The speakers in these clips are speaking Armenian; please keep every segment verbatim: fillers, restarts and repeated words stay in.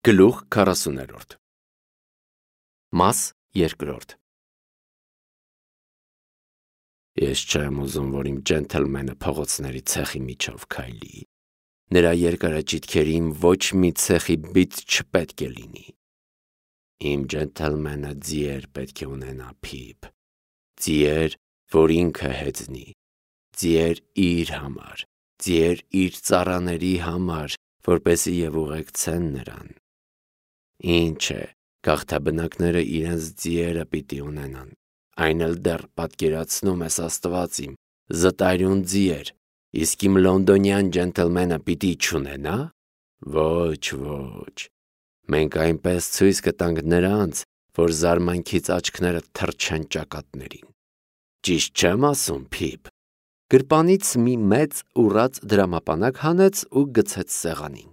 Գլուխ քառասուներորդ Մաս երկրորդ Ես չեմ ուզում, որ իմ ջենթլմենը փողոցների ցեխի միջով քայլի։ Նրա երկարաճիթքերին ոչ մի ցեխի բիծ չպետք է լինի։ Իմ ջենթլմենը ձիեր պետք է ունենա, Փիփ։ Ձիեր, որ ինքը հեծնի։ Ձիեր իր համար, ձիեր իր ծառաների համար, որպեսզի եւ ուղեկցեն նրան։ Ինչ է, գաղթաբնակները իրենց ձիերը պիտի ունենան, այն էլ դեռ պատկերացնում ես Աստված իմ, զտարյուն ձիեր, իսկ իմ լոնդոնյան ջենթլմենը պիտի չունենա։ Ոչ, ոչ, մենք այնպես ցույց կտանք նրանց, որ զարմանքից աչքները թռչեն ճակատներին։ Ճիշտ չեմ ասում, Փիփ։ Գրպանից մի մեծ ուռած դրամապանակ հանեց ու գցեց սեղանին։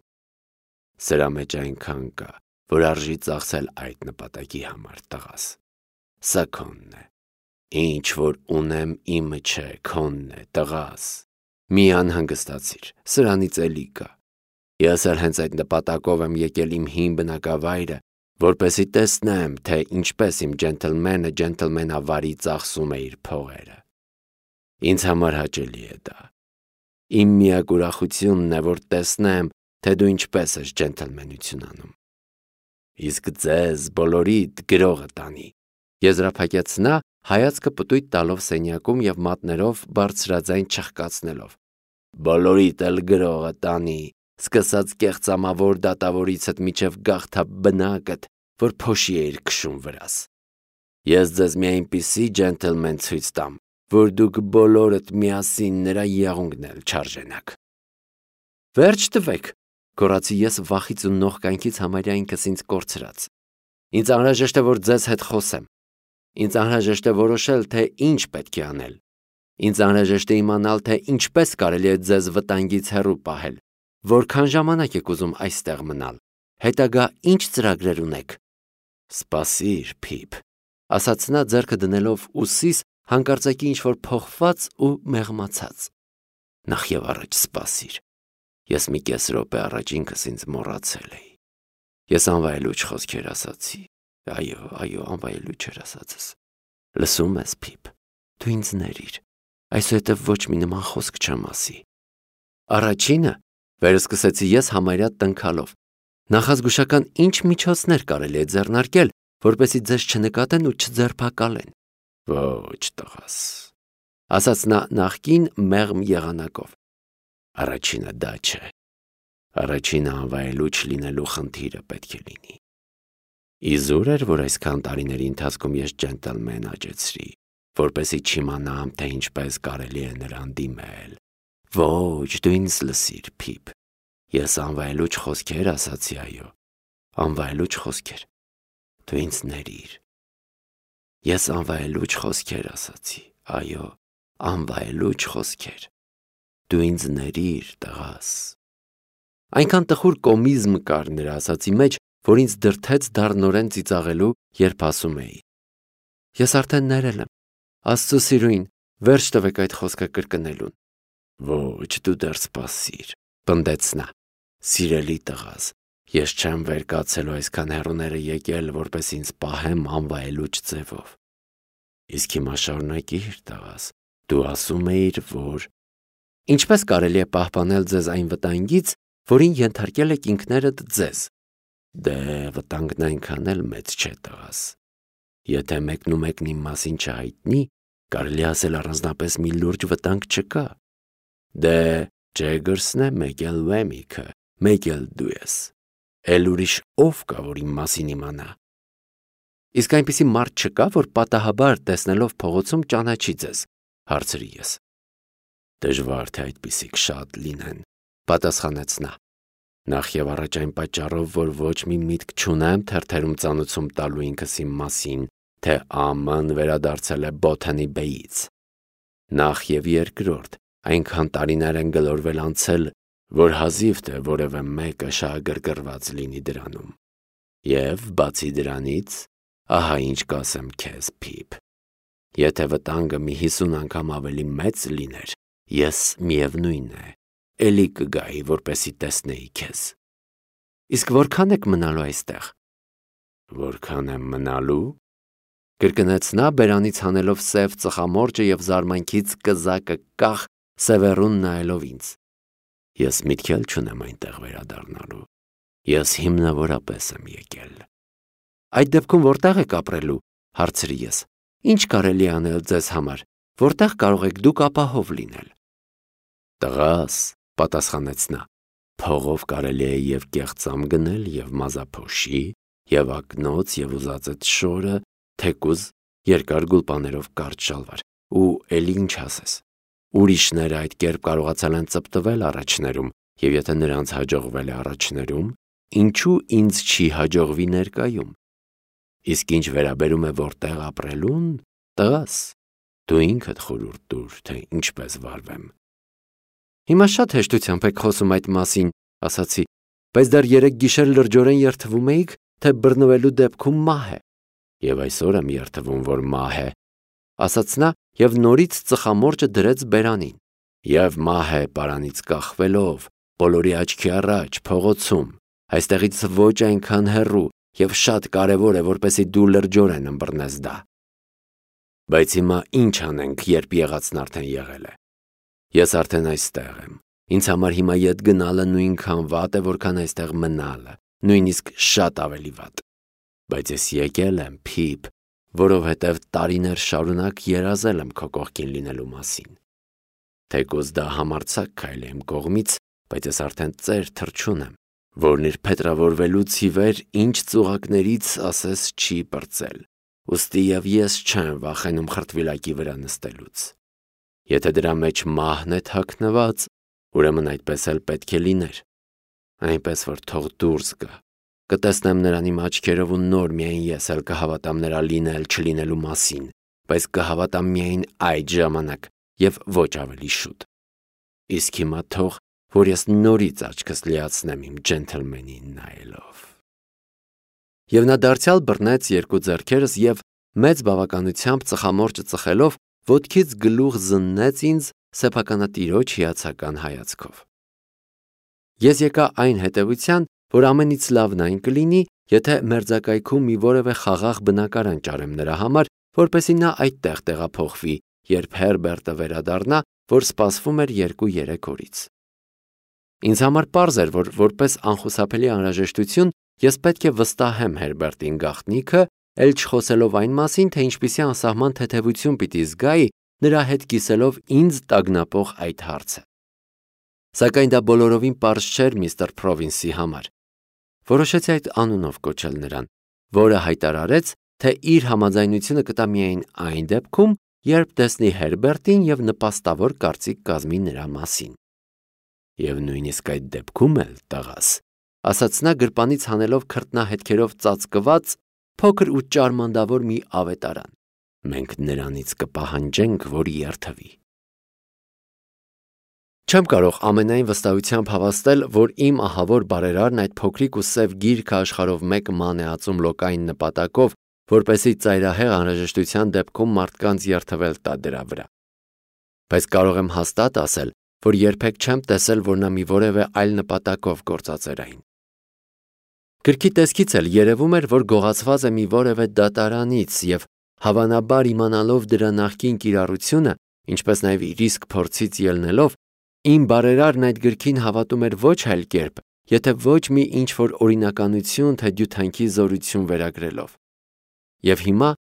Սրա մեջ այնքան կա, որ արժի ծախսել այդ նպատակի համար, տղաս։ Սա քոնն է։ Ինչ որ ունեմ իմը չէ, քոնն է, տղաս։ Մի անհանգստացիր, սրանից էլի կա։ Ես էլ հենց այդ նպատակով եմ եկել իմ հին բնակավայրը, որպեսզի տեսնեմ, թե ինչպես իմ ջենթլմենը ջենթլմենավարի ծախսում է իր փողերը։ Ինձ համար հաճելի է դա։ Իմ միակ ուրախությունն է, որ տեսնեմ, թե դու ինչպես ես ջենթլմենություն անում։ Իսկ ձեզ բոլորիդ գրողը տանի, եզրափակեց նա, հայացքը պտույտ տալով սենյակում եւ մատներով բարձրաձայն չխկացնելով։ Բոլորիդ էլ գրողը տանի, սկսած կեղծամավոր դատավորիցդ միջև գաղթաբնակդ, որ փոշի էիր քշում վրաս։ Ես ձեզ մի այնպիսի ջենթլմեն ցույց տամ, որ դուք բոլորդ միասին նրա եղունգն էլ չարժենաք։ Վերջ տվեք, գոռացի ես վախից ու նողկանքից համարյա ինքս ինձ կորցրած։ Ինձ անհրաժեշտ է, որ ձեզ հետ խոսեմ։ Ինձ անհրաժեշտ է որոշել, թե ինչ պետք է անել։ Ինձ անհրաժեշտ է իմանալ, թե ինչպես կարելի է ձեզ վտանգից հեռու պահել։ Որքան ժամանակ եք ուզում այստեղ մնալ։ Հետագա ինչ ծրագրեր ունեք։ Սպասիր, Փիփ, ասաց նա ձեռքը դնելով ուսիս, հանկարծակի ինչ-որ փոխված ու մեղմացած։ Նախ եւ առաջ սպասիր։ Ես մի կես րոպե առաջ ինքս ինձ մոռացել էի։ Ես անվայելուչ խոսքեր ասացի։ Այո, այո, անվայելուչ էր ասածս։ Լսում ես, Փիփ, դու ինձ ներիր։ Այսուհետև ոչ մի նման խոսք չեմ ասի։ Առաջինը, վերսկսեցի ես համարյա տնքալով։ Նախազգուշական ինչ միջոցներ կարելի է ձեռնարկել, որպեսզի ձեզ չնկատեն ու չձերբակալեն։ Ոչ, տղաս, ասաց նա նախկին մեղմ եղանակով։ Առաջինը դա չէ։ Առաջինը անվայելուչ լինելու խնդիրը պետք է լինի։ Իզուր էր, որ այսքան տարիների ընթացքում ես ջենթլմեն աճեցրի, որպեսզի չիմանամ, թե ինչպես կարելի է նրան դիմել։ Ոչ, դու ինձ լսիր, Փիփ։ Ես անվայելուչ խոսքեր ասացի, այո, անվայելուչ խոսքեր։ Դու ինձ ներիր։ Ես անվայելուչ խոսքեր ասացի, այո, անվայելուչ խոսքեր։ Դու ինձ ներիր, տղաս։ Այնքան տխուր կոմիզմ կար նրա ասացի մեջ, որ ինձ դրթեց դառնորեն ծիծաղելու, երբ ասում էի։ Ես արդեն ներել եմ։ Աստծո սիրուին, վերջ տվեք այդ խոսքը կրկնելուն։ Ոչ, դու դեռ սպասիր, պնդեց նա։ Սիրելի տղաս, ես չեմ վեր կացելու այսքան հեռուները եկել, որպես ինձ պահեմ անվայելուչ ձևով։ Իսկ հիմա շարունակիր, տղաս, դու ասում էիր, որ ինչպես կարելի է պահպանել ձեզ այն վտանգից, որին ենթարկել եք ինքներդ ձեզ։ Դե վտանգն այնքան էլ մեծ չէ, տղաս։ Եթե մեկն ու մեկն իմ մասին չհայտնի, կարելի ասել առանձնապես մի լուրջ վտանգ չկա։ Դե Ջեգերսն է, մեկ էլ Վեմիքը, մեկ էլ դու ես։ Էլ ուրիշ ով կա, որ իմ մասին իմանա։ Իսկ այնպիսի մարդ չկա, որ պատահաբար տեսնելով փողոցում ճանաչի ձեզ, հարցրի ես։ Դժվար թե այդպիսիք շատ լինեն, պատասխանեց նա։ Նախ եւ առաջ այն պատճառով, որ ոչ մի միտք չունեմ թերթերում ծանուցում տալու ինքս իմ մասին, թե Աման վերադարձել է Բոթանի Բեյից։ Նախ եւ երկրորդ, այնքան տարիներ են գլորվել անցել, որ հազիվ թե որևէ մեկը շահագրգռված լինի դրանում։ Եվ բացի դրանից, ահա ինչ կասեմ քեզ, Փիփ։ Եթե վտանգը մի հիսուն անգամ ավելի մեծ լիներ, ես միևնույն է, էլի կգայի, որպեսի տեսնեի քեզ։ Իսկ որքան եք մնալու այստեղ։ Որքան եմ մնալու։ Կրկնեց նա բերանից հանելով սև ծխամորճը և զարմանքից կզակը կախ Սևեռուն նայելով ինձ։ Ես միտք էլ չունեմ այնտեղ վերադառնալու։ Ես հիմնավորապես եմ եկել։ Այդ դեպքում որտեղ եք ապրելու, հարցրի ես։ Ինչ կարելի է անել ձեզ համար, որտեղ կարող եք դուք ապահով լինել։ Տղաս, պատասխանեց նա, փողով կարելի է և կեղծամ գնել, և մազափոշի, և ակնոց, և ուզածդ շորը, թեկուզ երկար գուլպաներով կարճ շալվար, ու էլի ինչ ասես։ Ուրիշները այդ կերպ կարողացել են ծպտվել առաջներում, և եթե նրանց հաջողվել է առաջներում, ինչու ինձ չի հաջողվի ներկայում։ Իսկ ինչ վերաբերում է որտեղ ապրելուն, տղաս, դու ինքդ խորհուրդ տուր, թե ինչպես վարվեմ։ Հիմա շատ հեշտությամբ եք խոսում այդ մասին, ասացի, բայց դեռ երեկ գիշեր լրջորեն երդվում էիք, թե բռնվելու դեպքում մահ է։ Եվ այսօր եմ երդվում, որ մահ է, ասաց նա և նորից ծխամորճը դրեց բերանին։ Եվ մահ է պարանից կախվելով, բոլորի աչքի առաջ, փողոցում, այստեղից ոչ այնքան հեռու, և շատ կարևոր է, որպեսզի դու լրջորեն ըմբռնես դա։ Բայց հիմա ինչ անենք, երբ եղածն արդեն եղել է։ Ես արդեն այստեղ եմ։ Ինձ համար հիմա ետ գնալը նույնքան վատ է, որքան այստեղ մնալը, նույնիսկ շատ ավելի վատ։ Բայց ես եկել եմ, Փիփ, որովհետև տարիներ շարունակ երազել եմ քո կողքին լինելու մասին։ Թեկուզ դա համարձակ քայլ է իմ կողմից, բայց ես արդեն ծեր թռչուն եմ, որն իր փետրավորվելուց ի վեր ինչ ծուղակներից ասես չի պրծել, ուստի և ես չեմ վախենում խրտվիլակի վրա նստելուց։ Եթե դրա մեջ մահն է թաքնված, ուրեմն այդպես էլ պետք է լիներ, այնպես որ թող դուրս գա, կտեսնեմ նրան իմ աչքերով ու նոր միայն ես էլ կհավատամ նրա լինել չլինելու մասին, բայց կհավատամ միայն այդ ժամանակ և ոչ ավելի շուտ։ Իսկ հիմա թող, որ ես նորից աչքս լիացնեմ իմ ջենթլմենին նայելով։ Եվ նա դարձյալ բռնեց երկու ձեռքերս և մեծ բավականությամբ ծխամորճը ծխելով ոտքից գլուխ զննեց ինձ սեփականատիրոջ հիացական հայացքով։ Ես եկա այն հետևության, որ ամենից լավն այն կլինի, եթե մերձակայքում մի որևէ խաղաղ բնակարան ճարեմ նրա համար, որպեսզի նա այդտեղ տեղափոխվի, երբ Հերբերտը վերադառնա, որ սպասվում էր երկու-երեք օրից։ Ինձ համար պարզ էր, որ որպես անխուսափելի անհրաժեշտություն ես պետք է վստահեմ Հերբերտին գաղտնիքը, էլ չխոսելով այն մասին, թե ինչպիսի անսահման թեթևություն պիտի զգայի, նրա հետ կիսելով ինձ տագնապող այդ հարցը։ Սակայն դա բոլորովին պարզ չէր միստր Փրովինսի համար։ Որոշեցի այդ անունով կոչել նրան, որը հայտարարեց, թե իր համաձայնությունը կտա միայն այն դեպքում, երբ տեսնի Հերբերտին և նպաստավոր կարծիք կազմի նրա մասին։ Եվ նույնիսկ այդ դեպքում էլ, տղաս, ասաց նա գրպանից հանելով քրտնահետքերով ծածկված փոքր ու ճարմանդավոր մի ավետարան, մենք նրանից կպահանջենք, որ երդվի։ Չեմ կարող ամենայն վստահությամբ հավաստել, որ իմ ահավոր բարերարն այդ փոքրիկ ու սև գիրքը աշխարհով մեկ ման է ածում լոկային նպատակով, որպեսզի ծայրահեղ անհրաժեշտության դեպքում մարդկանց երդվել տա դրա վրա։ Բայց կարող եմ հաստատ ասել, որ երբեք չեմ տեսել, որ նա մի որևէ այլ նպատակով գործածեր այն։ Գրքի տեսքից էլ երևում էր, որ գողացված է մի որևէ դատարանից և հավանաբար իմանալով դրա նախկին կիրառությունը, ինչպես նաև իր իսկ փորձից ելնելով, իմ բարերարն այդ գրքին հավատում էր ոչ այլ կերպ, եթե ոչ մի ինչ-որ օրինականություն, թե դյութանքի զորություն վերագրելով։ Եվ հիմա,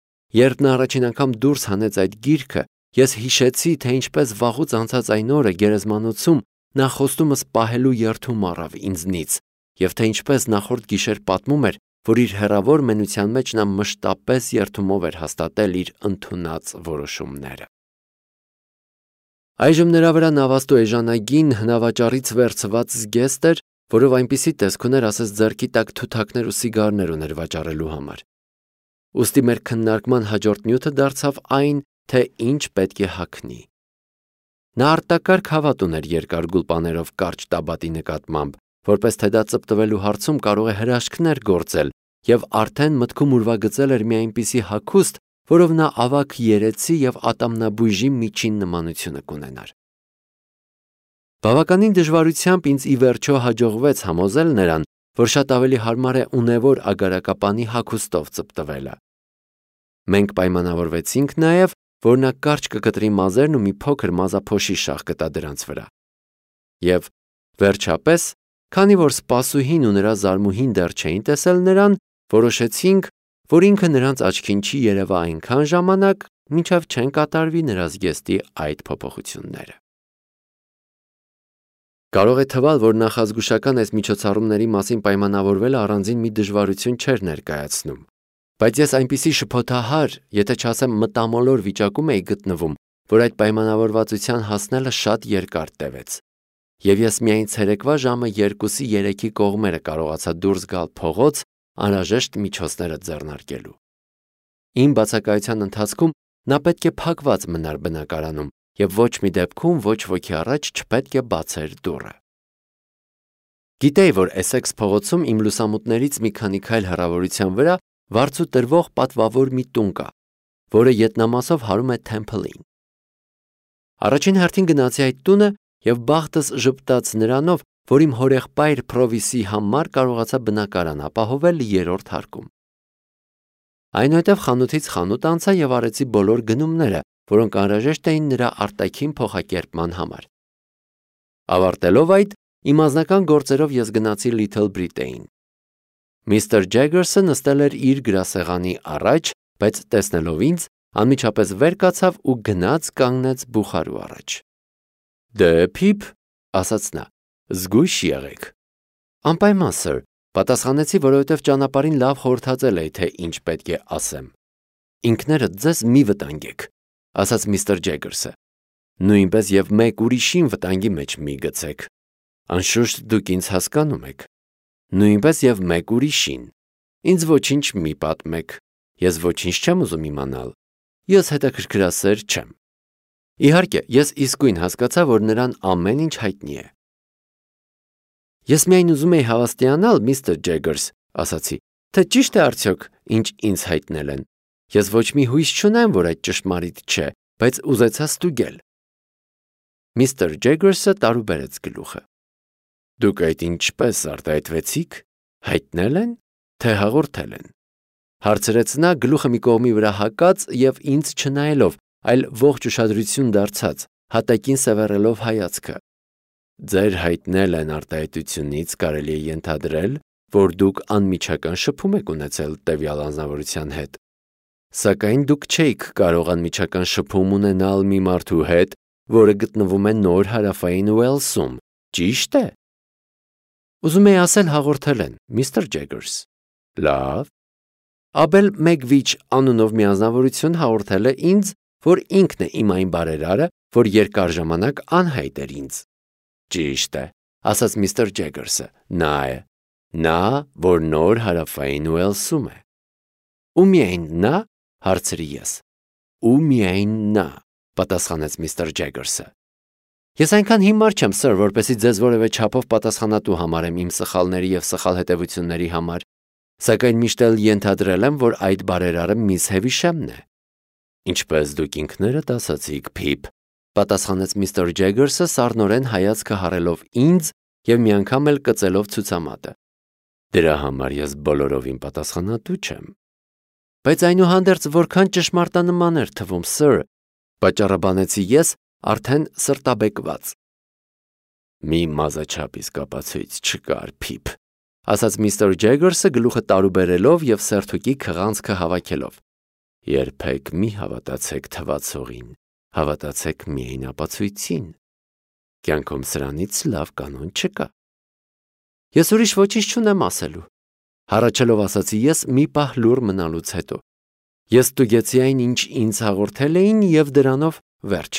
երբ նա առաջին անգամ դուրս հանեց այդ գիրքը, ես հիշեցի, թե ինչպես վաղուց անցած այն օրը գերեզմանոցում նա խոստումս պահելու երդում առավ ինձնից, և թե ինչպես նախորդ գիշեր պատմում էր, որ իր հեռավոր մենության մեջ նա մշտապես երդումով էր հաստատել իր ընդունած որոշումները։ Այժմ նրա վրա նավաստու էժանագին հնավաճառից վերցված զգեստ էր, որով այնպիսի տեսք ուներ, ասես ձեռքի տակ թութակներ ու սիգարներ ուներ վաճառելու համար։ Ուստի մեր քննարկման հաջորդ նյութը դարձավ այն, թե ինչ պետք է հագնի։ Նա արտակարգ հավատ ուներ երկար գուլպաներով կարճ տաբատի նկատմամբ, որպես թե դա ծպտվելու հարցում կարող է հրաշքներ գործել, և արդեն մտքում ուրվագծել էր մի այնպիսի հագուստ, որով նա ավագ երեցի և ատամնաբույժի միջին նմանությունը կունենար։ Բավականին դժվարությամբ ինձ ի վերջո հաջողվեց համոզել նրան, որ շատ ավելի հարմար է ունևոր ագարակապանի հագուստով ծպտվելը։ Մենք պայմանավորվեցինք նաև, որ նա կարճ կկտրի մազերն ու մի փոքր մազափոշի շաղ կտա դրանց վրա։ Եվ վերջապես, քանի որ սպասուհին ու նրա զարմուհին դեռ չէին տեսել նրան, որոշեցինք, որ ինքը նրանց աչքին չի երևա այնքան ժամանակ, մինչև չեն կատարվի նրա զգեստի այդ փոփոխությունները։ Կարող է թվալ, որ նախազգուշական այս միջոցառումների մասին պայմանավորվելը առանձին մի դժվարություն չէր ներկայացնում, բայց ես այնպիսի շփոթահար, եթե չասեմ մտամոլոր վիճակում էի գտնվում, որ այդ պայմանավորվածության հասնելը շատ երկար տևեց, և ես միայն ցերեկվա ժամը երկուսի երեքի կողմերը կարողացա դուրս գալ փողոց անհրաժեշտ միջոցները ձեռնարկելու։ Իմ բացակայության ընթացքում նա պետք է փակված մնար բնակարանում և ոչ մի դեպքում ոչ ոքի առաջ չպետք է բացեր դուռը։ Գիտեի, որ Էսեքս փողոցում իմ լուսամուտներից մի քանի քայլ հեռավորության վրա վարձու տրվող պատվավոր մի տուն կա, որը ետնամասով հարում է Թեմփլին։ Առաջին հերթին գնացի այդ տունը և բախտս ժպտաց նրանով, որ իմ հորեղբայր Փրովիսի համար կարողացա բնակարան ապահովել երրորդ հարկում։ Այնուհետև խանութից խանութ անցա և արեցի բոլոր գնումները, որոնք անհրաժեշտ էին նրա արտաքին փոխակերպման համար։ Ավարտելով այդ, իմ անձնական գործերով ես գնացի Լիթլ Բրիտեյն։ Միստր Ջեգերսը նստել էր իր գրասեղանի առաջ, բայց տեսնելով ինձ, անմիջապես վեր կացավ ու գնաց կանգնեց բուխարու առաջ։ Դե Փիփ, ասաց նա, զգույշ եղեք։ Անպայման, սըր, պատասխանեցի, որովհետև ճանապարհին լավ խորհրդածել էի, թե ինչ պետք է ասեմ։ Ինքներդ ձեզ մի վտանգեք, ասաց միստր Ջեգերսը։ Նույնպես և մեկ ուրիշին վտանգի մեջ մի գցեք։ Անշուշտ դուք ինձ հասկանում եք։ Նույնպես և մեկ ուրիշին։ Ինձ ոչինչ մի պատմեք։ Ես ոչինչ չեմ ուզում իմանալ։ Ես հետաքրքրասեր չեմ։ Իհարկե, ես իսկույն հասկացա, որ նրան ամեն ինչ հայտնի է։ Ես միայն ուզում էի հավաստիանալ, միստր Ջեգերս, ասացի, թե ճիշտ է արդյոք, ինչ ինձ հայտնել են։ Ես ոչ մի հույս չունեմ, որ այդ ճշմարիտ չէ, բայց ուզեցա ստուգել։ Միստր Ջեգերսը տարուբերեց գլուխը։ Դուք այդ ինչպես արտահայտվեցիք, հայտնել են, թե հաղորդել են։ Հարցրեց նա գլուխը մի կողմի վրա հակած և ինձ չնայելով, այլ ողջ ուշադրություն դարձած, հատակին սևեռելով հայացքը։ Ձեր հայտնել են արտահայտությունից կարելի է ենթադրել, որ դուք անմիջական շփում եք ունեցել տվյալ անձնավորության հետ։ Սակայն դուք չէիք կարող անմիջական շփում ունենալ մի մարդու հետ, որը գտնվում է Նոր Հարավային Ուելսում, ճիշտ է։ Ուզում էի ասել հաղորդել են, միստր Ջեգերս։ Լավ։ Աբել Մեգվիչ անունով մի անձնավորություն հաղորդել է ինձ, որ ինքն է իմ այն բարերարը, որ երկար ժամանակ անհայտ էր ինձ։ Ճիշտ է, ասաց միստր Ջեգերսը, նա է։ Նա, որ Նոր Հարավային Ուելսում է։ Ու միայն նա, հարցրի ես։ Ու միայն նա, պատասխանեց միստր Ջեգերսը։ Ես այնքան հիմար չեմ, սըր, որպեսզի ձեզ որևէ չափով պատասխանատու համարեմ իմ սխալների և սխալ հետևությունների համար, սակայն միշտ էլ ենթադրել եմ, որ այդ բարերարը միս Հևիշեմն է։ Ինչպես դուք ինքներդ ասացիք, Փիփ, պատասխանեց միստր Ջեգերսը սառնորեն հայացքը հառելով ինձ և մի անգամ էլ կծելով ցուցամատը։ Դրա համար ես բոլորովին պատասխանատու չեմ։ Բայց այնուհանդերձ որքան ճշմարտանման էր թվում, սըր, պատճառաբանեցի ես, արդեն սրտաբեկված։ Մի մազաչափ իսկապացույց չկար, Փիփ, ասաց միստր Ջեգերսը գլուխը տարուբերելով և սերթուկի քղանցքը հավաքելով։ Երբեք մի հավատացեք թվացողին, հավատացեք միայն ապացույցին։ Կյանքում սրանից լավ կանոն չկա։ Ես ուրիշ ոչինչ չունեմ ասելու, հառաչելով ասացի ես մի պահ լուռ մնալուց հետո։ Ես ստուգեցի այն, ինչ ինձ հաղորդել էին և դրանով վերջ։